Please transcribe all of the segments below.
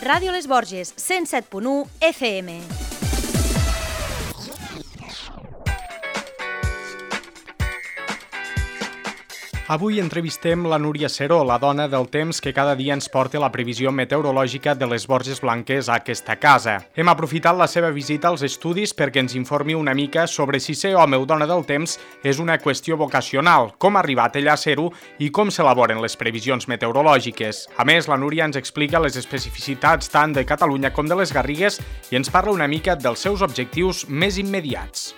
Ràdio Les Borges, 107.1 FM. Avui entrevistem la Núria Seró, la dona del temps que cada dia ens porta la previsió meteorològica de les Borges Blanques a aquesta casa. Hem aprofitat la seva visita als estudis perquè ens informi una mica sobre si ser home o dona del temps és una qüestió vocacional, com ha arribat ella a ser-ho i com s'elaboren les previsions meteorològiques. A més, la Núria ens explica les especificitats tant de Catalunya com de les Garrigues i ens parla una mica dels seus objectius més immediats.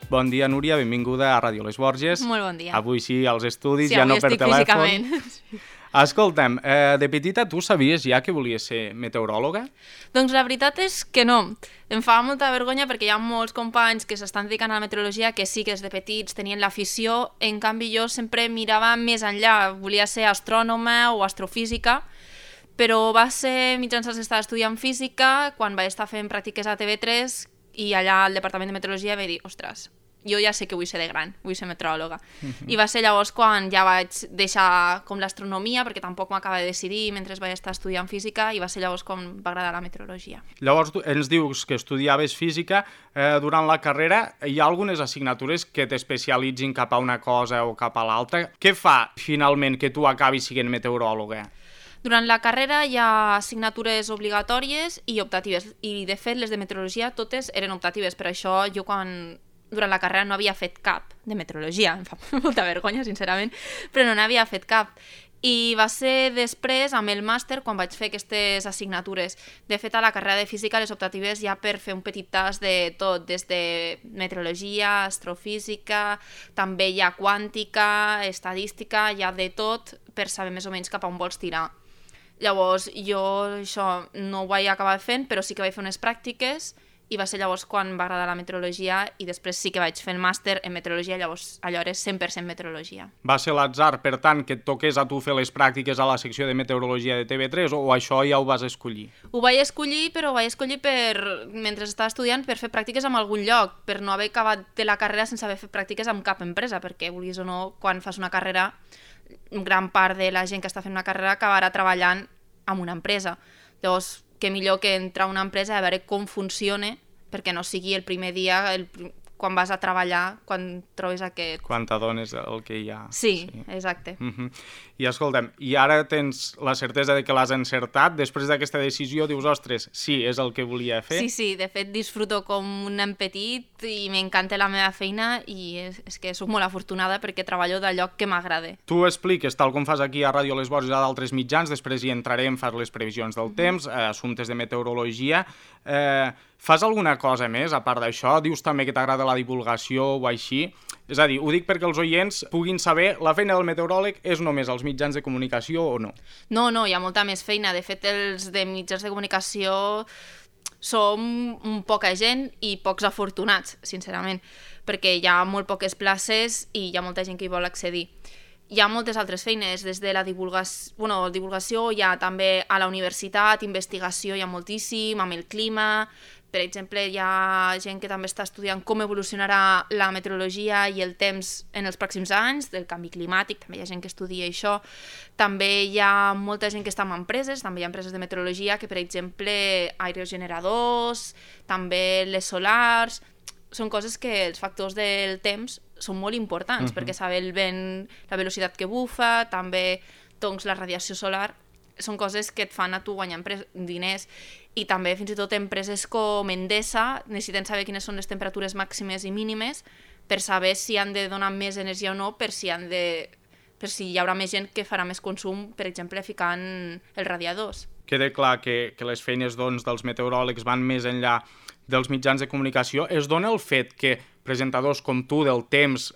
Bon dia, Núria, benvinguda a Ràdio Les Borges. Molt bon dia. Avui sí, als estudis, sí, ja no per telèfon. Físicament. Escolta'm, de petita tu sabies ja que volies ser meteoròloga? Doncs la veritat és que no. Em fa molta vergonya perquè hi ha molts companys que s'estan dedicant a la meteorologia que sí que des de petits tenien l'afició, en canvi jo sempre mirava més enllà, volia ser astrònoma o astrofísica, però va ser mitjançant que estava estudiant física quan vaig estar fent pràctiques a TV3 i allà al Departament de Meteorologia vaig dir, ostres, jo ja sé que vull ser de gran, vull ser meteoròloga. I va ser llavors quan ja vaig deixar com l'astronomia, perquè tampoc m'acaba de decidir mentre vaig estar estudiant física, i va ser llavors quan m'agradar la meteorologia. Llavors ens dius que estudiaves física, durant la carrera hi ha algunes assignatures que t'especialitzin cap a una cosa o cap a l'altra. Què fa finalment que tu acabis sent meteoròloga? Durant la carrera hi ha assignatures obligatòries i optatives, i de fet les de meteorologia totes eren optatives, per això jo durant la carrera no havia fet cap de meteorologia, em fa molta vergonya sincerament, però no n'havia fet cap. I va ser després, amb el màster, quan vaig fer aquestes assignatures. De fet, a la carrera de física, les optatives ja per fer un petit tas de tot, des de meteorologia, astrofísica, també hi ha quàntica, estadística, hi ha de tot per saber més o menys cap a on vols tirar. Llavors, jo això no ho vaig acabar fent, però sí que vaig fer unes pràctiques i va ser llavors quan va agradar la meteorologia i després sí que vaig fer el màster en meteorologia, llavors allò era 100% meteorologia. Va ser l'atzar, per tant, que et toqués a tu fer les pràctiques a la secció de meteorologia de TV3 o això ja ho vas escollir? Ho vaig escollir, però ho vaig escollir mentre estava estudiant per fer pràctiques en algun lloc, per no haver acabat de la carrera sense haver fet pràctiques en cap empresa, perquè vulguis o no, quan fas una carrera, gran part de la gent que està fent una carrera acabarà treballant en una empresa. Llavors, què millor que entrar a una empresa i a veure com funciona, perquè no sigui el primer dia, quan vas a treballar, quan trobes aquest... Quan t'adones el que hi ha. Sí, exacte. I escolta'm, i ara tens la certesa de que l'has encertat? Després d'aquesta decisió dius, ostres, sí, és el que volia fer? Sí, de fet disfruto com un nen petit i m'encanta la meva feina i és que soc molt afortunada perquè treballo d'allò que m'agrada. Tu expliques, tal com fas aquí a Ràdio Les Borges a d'altres mitjans, després hi entrarem, fas les previsions del temps, assumptes de meteorologia... Fas alguna cosa més, a part d'això? Dius també que t'agrada la divulgació o així? És a dir, ho dic perquè els oients puguin saber la feina del meteoròleg és només als mitjans de comunicació o no? No, hi ha molta més feina. De fet, els de mitjans de comunicació som poca gent i pocs afortunats, sincerament, perquè hi ha molt poques places i hi ha molta gent que hi vol accedir. Hi ha moltes altres feines, des de la divulgació, hi ha també a la universitat, investigació hi ha moltíssim, amb el clima. Per exemple, hi ha gent que també està estudiant com evolucionarà la meteorologia i el temps en els pròxims anys, del canvi climàtic, també hi ha gent que estudia això. També hi ha molta gent que està en empreses, també hi ha empreses de meteorologia que, per exemple, aerogeneradors, també les solars... Són coses que els factors del temps són molt importants, perquè saber el vent, la velocitat que bufa, també doncs, la radiació solar, són coses que et fan a tu guanyar diners. I també fins i tot empreses com Endesa necessiten saber quines són les temperatures màximes i mínimes per saber si han de donar més energia o no, per si hi haurà més gent que farà més consum, per exemple, ficant els radiadors. Queda clar que les feines dels meteoròlegs van més enllà dels mitjans de comunicació. Es dona el fet que presentadors com tu del temps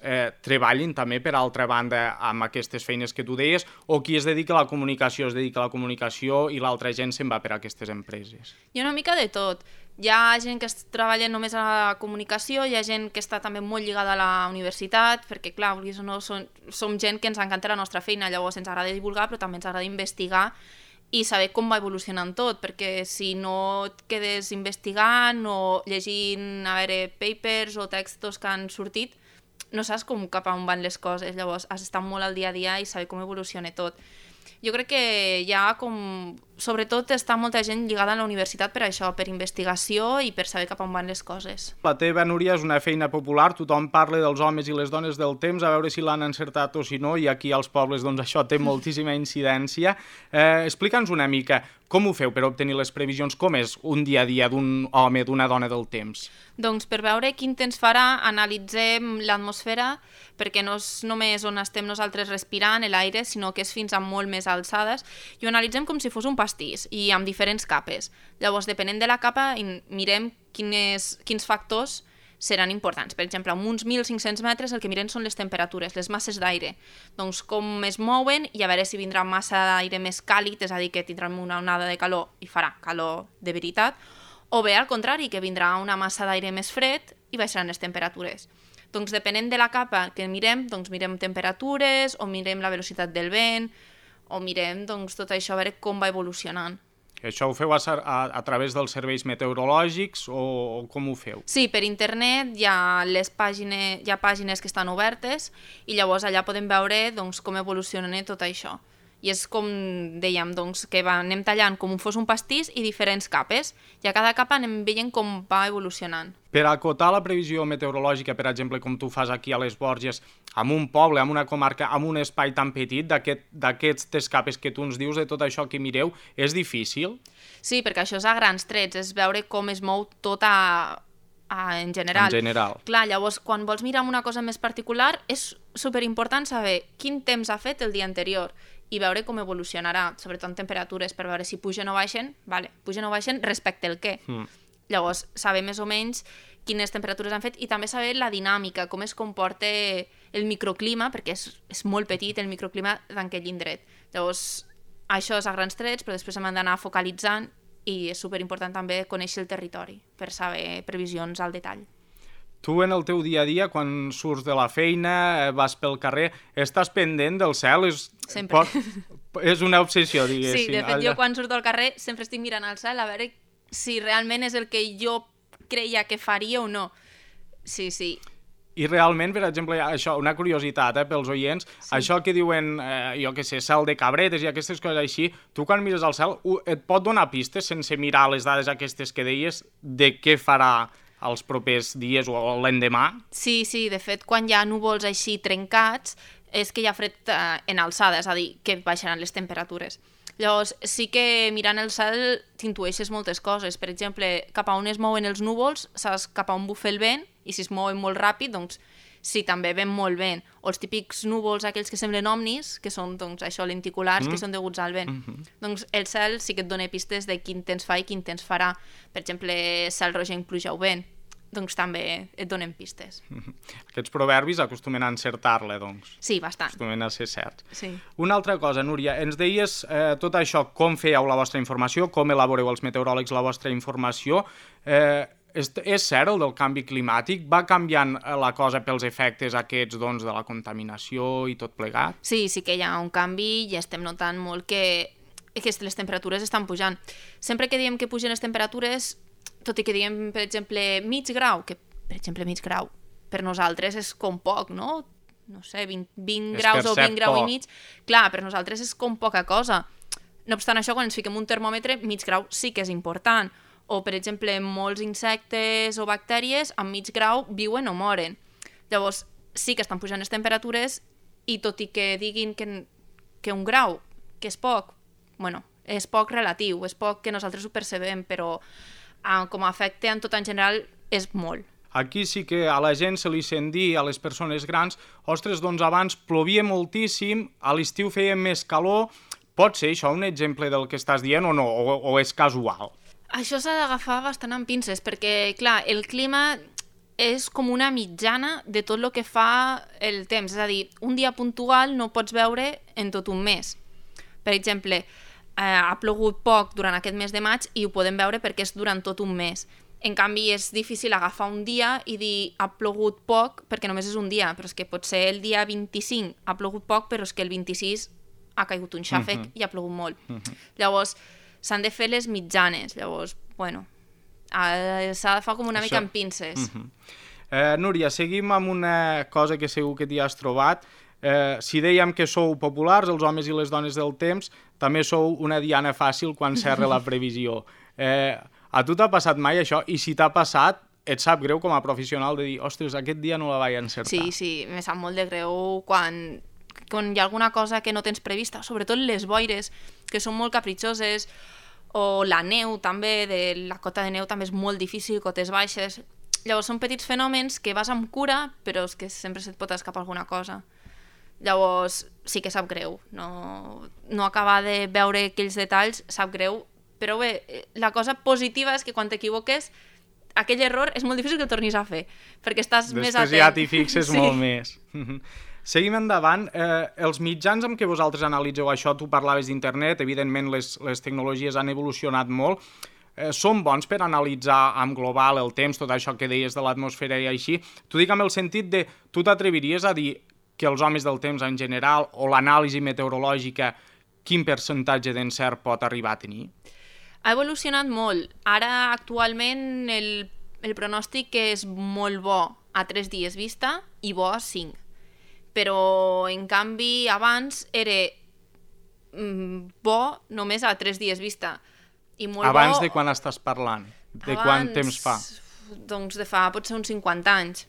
treballin també, per altra banda, amb aquestes feines que tu deies, o qui es dedica a la comunicació i l'altra gent se'n va per a aquestes empreses? Hi ha una mica de tot. Hi ha gent que treballa només a la comunicació, hi ha gent que està també molt lligada a la universitat, perquè, clar, vulguis o no, som gent que ens encanta la nostra feina, llavors ens agrada divulgar, però també ens agrada investigar i saber com va evolucionant tot, perquè si no et quedes investigant o llegint, papers o textos que han sortit, no saps cap a on van les coses, llavors has d'estar molt al dia a dia i saber com evoluciona tot. Jo crec que hi ha sobretot està molta gent lligada a la universitat per això, per investigació i per saber cap on van les coses. La teva, Núria, és una feina popular, tothom parla dels homes i les dones del temps, a veure si l'han encertat o si no, i aquí als pobles doncs això té moltíssima incidència. Explica'ns una mica, com ho feu per obtenir les previsions? Com és un dia a dia d'un home, d'una dona del temps? Doncs per veure quin temps farà, analitzem l'atmosfera, perquè no és només on estem nosaltres respirant l'aire, sinó que és fins a molt més alçades, i ho analitzem com si fos un pastís, i amb diferents capes. Llavors, depenent de la capa, mirem quins factors seran importants. Per exemple, amb uns 1.500 metres el que mirem són les temperatures, les masses d'aire. Doncs com es mouen i a veure si vindrà massa d'aire més càlid, és a dir, que tindrem una onada de calor i farà calor de veritat, o bé al contrari, que vindrà una massa d'aire més fred i baixaran les temperatures. Doncs depenent de la capa que mirem, doncs mirem temperatures, o mirem la velocitat del vent, o mirem doncs, tot això a veure com va evolucionant. Això ho feu a través dels serveis meteorològics o com ho feu? Sí, per internet hi ha pàgines que estan obertes i llavors allà podem veure doncs, com evoluciona tot això. I és com dèiem, doncs, que anem tallant com fos un pastís i diferents capes, i a cada capa anem veient com va evolucionant. Per acotar la previsió meteorològica, per exemple, com tu fas aquí a les Borges, amb un poble, amb una comarca, amb un espai tan petit, d'aquestes capes que tu ens dius, de tot això que mireu, és difícil? Sí, perquè això és a grans trets, és veure com es mou tot en general. En general. Clar, llavors, quan vols mirar una cosa més particular, és superimportant saber quin temps ha fet el dia anterior i veure com evolucionarà, sobretot en temperatures, per veure si pugen o baixen, pugen o baixen respecte al què. Llavors, saber més o menys quines temperatures han fet i també saber la dinàmica, com es comporta el microclima, perquè és molt petit el microclima d'aquell indret. Llavors, això és a grans trets, però després hem d'anar focalitzant i és superimportant també conèixer el territori per saber previsions al detall. Tu en el teu dia a dia, quan surts de la feina, vas pel carrer, estàs pendent del cel? Sempre. És una obsessió, diguéssim. Sí, de fet, jo quan surto al carrer sempre estic mirant al cel a veure si realment és el que jo creia que faria o no. Sí. I realment, per exemple, això, una curiositat pels oients, això que diuen, jo què sé, cel de cabretes i aquestes coses així, tu quan mires al cel et pot donar pistes sense mirar les dades aquestes que deies de què farà els propers dies o l'endemà? Sí, de fet, quan hi ha núvols així trencats és que hi ha fred en alçada, és a dir, que baixaran les temperatures. Llavors, sí que mirant el cel t'intueixes moltes coses. Per exemple, cap a on es mouen els núvols, saps cap a on bufa el vent, i si es mouen molt ràpid, doncs sí, també ven molt vent. O els típics núvols, aquells que semblen omnis, que són, doncs, això, lenticulars, que són deguts al vent. Doncs el cel sí que et dona pistes de quin temps fa i quin temps farà. Per exemple, cel rogenc, pluja o vent. Doncs també et donen pistes. Aquests proverbis acostumen a encertar-le, doncs. Sí, bastant. Acostumen a ser certs. Sí. Una altra cosa, Núria, ens deies tot això, com fèieu la vostra informació, com elaboreu els meteoròlegs la vostra informació. És cert el del canvi climàtic? Va canviant la cosa pels efectes aquests doncs, de la contaminació i tot plegat? Sí que hi ha un canvi i estem notant molt que les temperatures estan pujant. Sempre que diem que pugen les temperatures, tot i que diem, per exemple, mig grau, que, per exemple, mig grau per nosaltres és com poc, no? No sé, 20 graus o 20 graus i mig. Clar, per nosaltres és com poca cosa. No obstant això, quan ens fiquem un termòmetre, mig grau sí que és important. O, per exemple, molts insectes o bactèries amb mig grau viuen o moren. Llavors, sí que estan pujant les temperatures i tot i que diguin que un grau, que és poc, bueno, és poc relatiu, és poc que nosaltres ho percebem, però com a efecte en tot en general és molt. Aquí sí que a la gent se li sent dir, a les persones grans, ostres, doncs abans plovia moltíssim, a l'estiu feia més calor, pot ser això un exemple del que estàs dient o no, o és casual? Això s'ha d'agafar bastant amb pinces, perquè, clar, el clima és com una mitjana de tot el que fa el temps, és a dir, un dia puntual no pots veure en tot un mes. Per exemple, ha plogut poc durant aquest mes de maig i ho podem veure perquè és durant tot un mes. En canvi, és difícil agafar un dia i dir ha plogut poc perquè només és un dia, però és que potser el dia 25 ha plogut poc, però és que el 26 ha caigut un xàfec i ha plogut molt. Llavors, s'han de fer les mitjanes. Llavors, bueno, s'ha de fer com una mica amb pinces. Núria, seguim amb una cosa que segur que t'hi has trobat. Si dèiem que sou populars, els homes i les dones del temps, també sou una diana fàcil quan s'erra la previsió. A tu t'ha passat mai això? I si t'ha passat, et sap greu com a professional de dir, ostres, aquest dia no la vaig encertar? Sí, me sap molt de greu quan hi ha alguna cosa que no tens prevista, sobretot les boires, que són molt capritxoses, o la neu també, la cota de neu també és molt difícil, cotes baixes. Llavors són petits fenòmens que vas amb cura, però és que sempre se't pot escapar alguna cosa. Llavors sí que sap greu, no acabar de veure aquells detalls sap greu, però bé, la cosa positiva és que quan t'equivoques aquell error és molt difícil que el tornis a fer, perquè estàs més atent. Després ja t'hi fixes molt més. Seguim endavant. Els mitjans amb què vosaltres analitzeu això, tu parlaves d'internet, evidentment les tecnologies han evolucionat molt, són bons per analitzar en global el temps, tot això que deies de l'atmosfera i així. T'ho dic amb el sentit de, tu t'atreviries a dir que els homes del temps en general o l'anàlisi meteorològica, quin percentatge d'encert pot arribar a tenir? Ha evolucionat molt. Ara, actualment, el pronòstic és molt bo a 3 dies vista i bo a 5. Però, en canvi, abans era bo només a 3 dies vista. I molt abans bo... de quan estàs parlant? De quant temps fa? Doncs de fa potser uns 50 anys.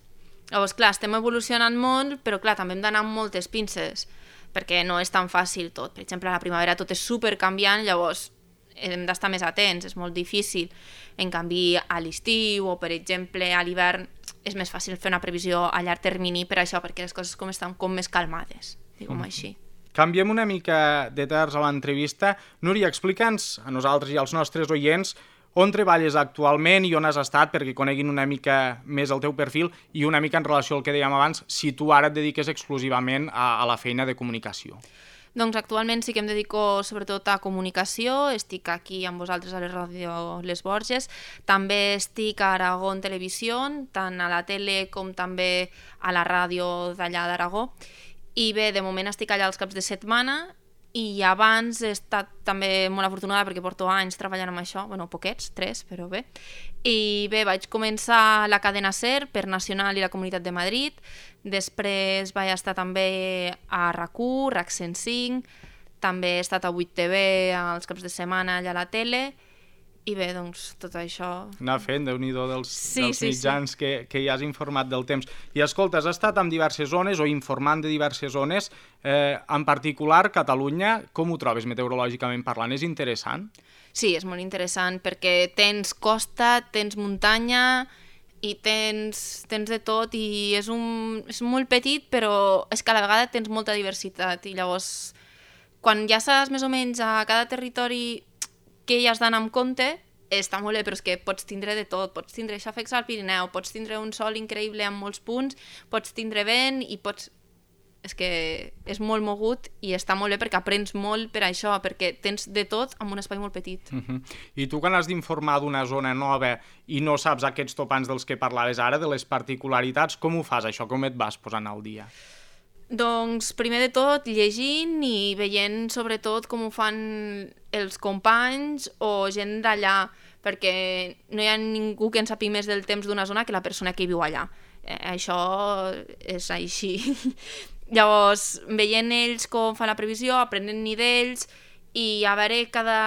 Llavors, clar, estem evolucionant molt, però clar, també hem d'anar amb moltes pinces, perquè no és tan fàcil tot. Per exemple, a la primavera tot és supercanviant, llavors hem d'estar més atents, és molt difícil. En canvi, a l'estiu o, per exemple, a l'hivern és més fàcil fer una previsió a llarg termini per això, perquè les coses estan com més calmades, diguem així. Canviem una mica de terç a l'entrevista. Núria, explica'ns a nosaltres i als nostres oients on treballes actualment i on has estat, perquè coneguin una mica més el teu perfil i una mica en relació al que dèiem abans, si tu ara et dediques exclusivament a la feina de comunicació. Doncs actualment sí que em dedico sobretot a comunicació, estic aquí amb vosaltres a la ràdio Les Borges, també estic a Aragó en Televisió, tant a la tele com també a la ràdio d'allà d'Aragó, i bé, de moment estic allà els caps de setmana, i abans he estat també molt afortunada perquè porto anys treballant amb això, bueno, poquets, 3, però bé. I bé, vaig començar la cadena SER per Nacional i la Comunitat de Madrid, després vaig estar també a RAC1, RAC 105, també he estat a 8TV als caps de setmana allà a la tele, i bé, doncs, tot això... Anar fent, Déu-n'hi-do dels mitjans que ja has informat del temps. I escolta, has estat en diverses zones o informant de diverses zones, en particular Catalunya, com ho trobes meteorològicament parlant? És interessant? Sí, és molt interessant perquè tens costa, tens muntanya i tens de tot i és molt petit, però és que a la vegada tens molta diversitat i llavors quan ja saps més o menys a cada territori que hi has d'anar amb compte, està molt bé, però és que pots tindre de tot, pots tindre xàfecs al Pirineu, pots tindre un sol increïble amb molts punts, pots tindre vent i pots... És que és molt mogut i està molt bé perquè aprens molt per això, perquè tens de tot en un espai molt petit. I tu quan has d'informar d'una zona nova i no saps aquests topants dels que parlaves ara, de les particularitats, com ho fas això? Com et vas posant al dia? Doncs, primer de tot, llegint i veient sobretot com ho fan els companys o gent d'allà, perquè no hi ha ningú que en sàpiga més del temps d'una zona que la persona que hi viu allà. Això és així. Llavors, veient ells com fan la previsió, aprenent-hi d'ells i a veure cada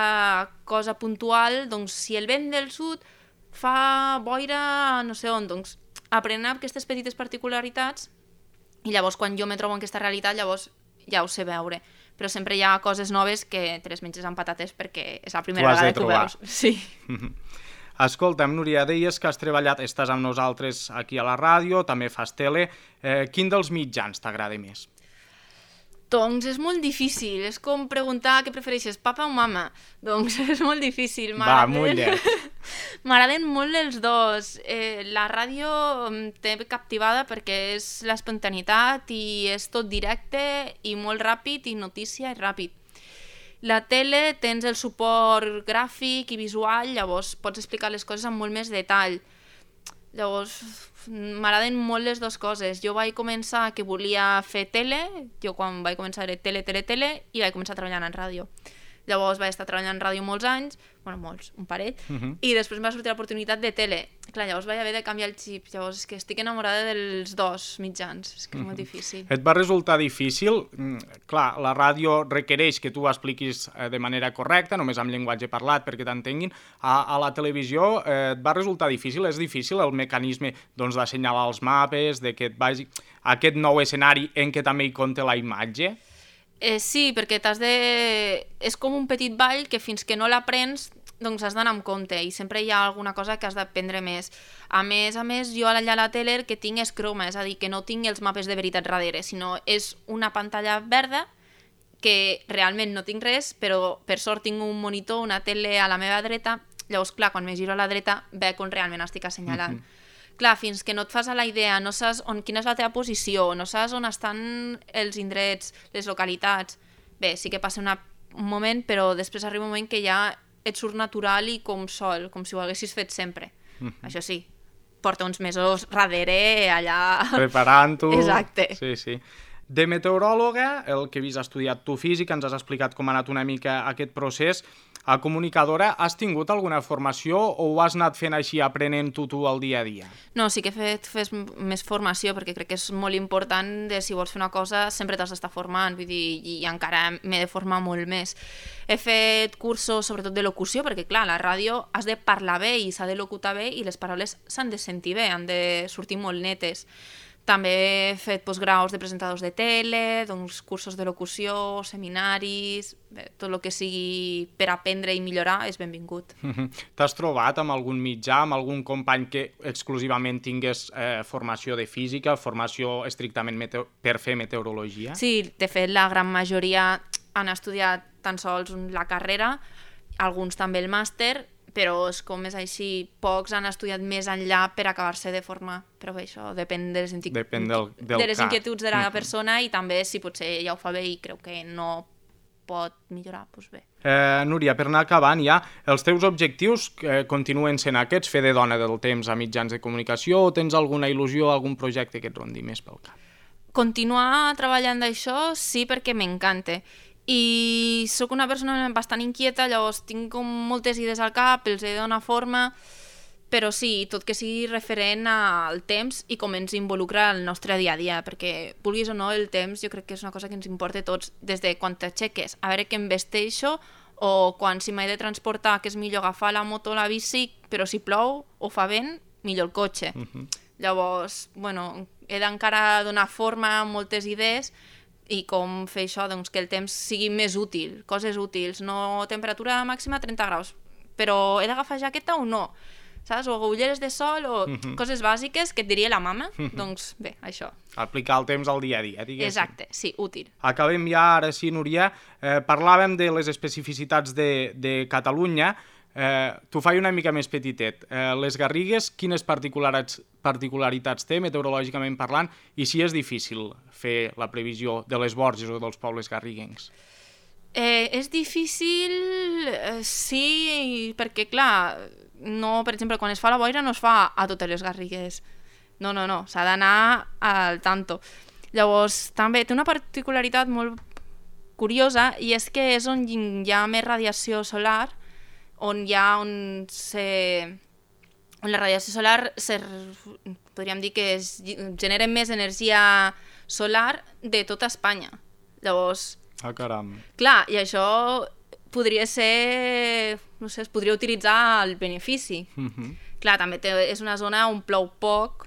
cosa puntual, doncs si el vent del sud fa boira no sé on, doncs aprenent aquestes petites particularitats i llavors quan jo me trobo en aquesta realitat llavors ja ho sé veure, però sempre hi ha coses noves que te les menges amb patates perquè és la primera vegada que ho veus. Sí. Escolta'm, Núria, deies que has treballat, estàs amb nosaltres aquí a la ràdio, també fas tele. Quin dels mitjans t'agrada més? Doncs és molt difícil, és com preguntar què prefereixes, papa o mama? Doncs és molt difícil. Va, mullet. M'agraden molt els dos. La ràdio em té captivada perquè és l'espontaneïtat i és tot directe i molt ràpid i notícia i ràpid. La tele tens el suport gràfic i visual, llavors pots explicar les coses amb molt més detall. Llavors, m'agraden molt les dues coses. Jo vaig començar que volia fer tele, jo quan vaig començar era tele, i vaig començar treballant en ràdio. Llavors vaig estar treballant en ràdio molts anys, bueno, molts, un parell, i després em va sortir l'oportunitat de tele. Clar, llavors vaig haver de canviar el xip, llavors és que estic enamorada dels dos mitjans, és que és molt difícil. Et va resultar difícil? Clar, la ràdio requereix que tu ho expliquis de manera correcta, només amb llenguatge parlat perquè t'entenguin. A la televisió et va resultar difícil? És difícil el mecanisme d'assenyalar els mapes, de que et vagi a aquest nou escenari en què també hi compta la imatge? Sí, perquè és com un petit ball que fins que no l'aprens doncs has d'anar amb compte i sempre hi ha alguna cosa que has d'aprendre més. A més, jo allà a la tele el que tinc és croma, és a dir, que no tinc els mapes de veritat darrere, sinó és una pantalla verda que realment no tinc res, però per sort tinc un monitor, una tele a la meva dreta, llavors clar, quan me giro a la dreta veig on realment estic assenyalant. Clar, fins que no et fas a la idea, no saps quina és la teva posició, no saps on estan els indrets, les localitats. Bé, sí que passa un moment, però després arriba un moment que ja et surt natural i com sol, com si ho haguessis fet sempre. Això sí, porta uns mesos darrere allà... Preparant-ho. Exacte. Sí, sí. De meteoròloga, el que havies estudiat tu física, ens has explicat com ha anat una mica aquest procés. A comunicadora, has tingut alguna formació o ho has anat fent així, aprenent-ho tu al dia a dia? No, sí que he fet més formació, perquè crec que és molt important de si vols fer una cosa sempre t'has d'estar formant, vull dir, i encara m'he de formar molt més. He fet cursos sobretot de locució, perquè clar, a la ràdio has de parlar bé i s'ha de locutar bé i les paraules s'han de sentir bé, han de sortir molt netes. També he fet postgraus de presentadors de tele, doncs cursos de locució, seminaris, bé, tot el que sigui per aprendre i millorar és benvingut. T'has trobat amb algun mitjà, amb algun company que exclusivament tingués formació de física, formació estrictament per fer meteorologia? Sí, de fet la gran majoria han estudiat tan sols la carrera, alguns també el màster, però és com és així, pocs han estudiat més enllà per acabar-se de formar, però bé, això depèn de les inquietuds de la persona i també si potser ja ho fa bé i creu que no pot millorar, doncs bé. Núria, per anar acabant ja, els teus objectius continuen sent aquests, fer de dona del temps a mitjans de comunicació, o tens alguna il·lusió, algun projecte que et rondi més pel cap? Continuar treballant d'això sí, perquè m'encanta. I sóc una persona bastant inquieta, llavors tinc com moltes idees al cap, els he de donar forma, però sí, tot que sigui referent al temps i com ens involucra el nostre dia a dia, perquè vulguis o no, el temps jo crec que és una cosa que ens importa a tots, des de quan t'aixeques, a veure què em vesteixo, o quan si m'he de transportar, que és millor agafar la moto o la bici, però si plou o fa vent, millor el cotxe. Llavors, bueno, he d'encara donar forma a moltes idees, i com fer això, doncs que el temps sigui més útil, coses útils, no temperatura màxima 30 graus, però he d'agafar jaqueta o no, saps? O ulleres de sol o coses bàsiques que et diria la mama, doncs bé, això. Aplicar el temps al dia a dia, diguéssim. Exacte, sí, útil. Acabem ja, ara sí, Núria, parlàvem de les especificitats de Catalunya, t'ho faig una mica més petitet. Les Garrigues, quines particularitats té, meteorològicament parlant, i si és difícil fer la previsió de les Borges o dels pobles garriguencs? És difícil, sí, perquè clar, no, per exemple, quan es fa la boira no es fa a totes les Garrigues. No, s'ha d'anar al tanto. Llavors, també té una particularitat molt curiosa, i és que és on hi ha més radiació solar, on la radiació solar podríem dir que genera més energia solar de tota Espanya. Llavors, caram. Clar, i això podria ser, no sé, es podria utilitzar al benefici. Clar, també és una zona on plou poc,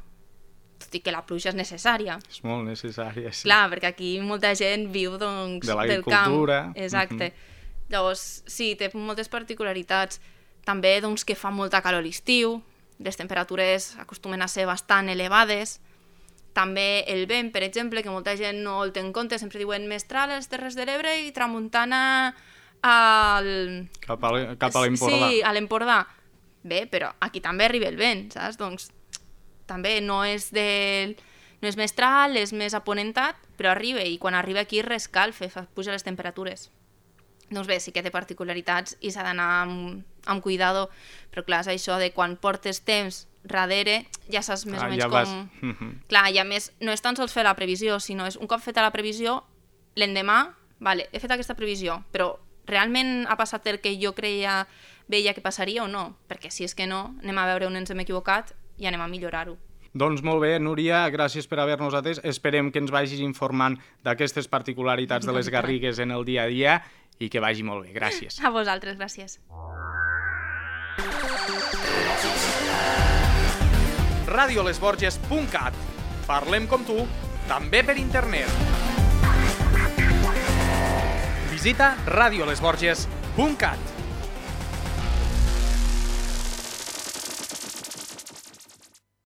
tot i que la pluja és necessària. És molt necessària, sí. Clar, perquè aquí molta gent viu, doncs, de l'agricultura. Del camp. Exacte. Llavors, sí, té moltes particularitats. També, doncs, que fa molta calor a l'estiu, les temperatures acostumen a ser bastant elevades. També el vent, per exemple, que molta gent no el té en compte, sempre diuen mestral a les Terres de l'Ebre i tramuntana cap a l'Empordà. Sí, a l'Empordà. Bé, però aquí també arriba el vent, saps? Doncs també no és mestral, és més aponentat, però arriba, i quan arriba aquí rescalfa, puja les temperatures. Doncs bé, sí que té particularitats i s'ha d'anar amb cuidado, però clar, és això de quan portes temps darrere, ja saps més o menys com... Clar, ja més, no és tan sols fer la previsió, sinó és un cop feta la previsió, l'endemà, vale, he fet aquesta previsió, però realment ha passat el que jo veia que passaria o no? Perquè si és que no, anem a veure on ens hem equivocat i anem a millorar-ho. Doncs molt bé, Núria, gràcies per haver-nos atès. Esperem que ens vagis informant d'aquestes particularitats de les Garrigues en el dia a dia i que vagi molt bé. Gràcies. A vosaltres, gràcies. radiolesborges.cat. Parlem com tu, també per internet. Visita radiolesborges.cat.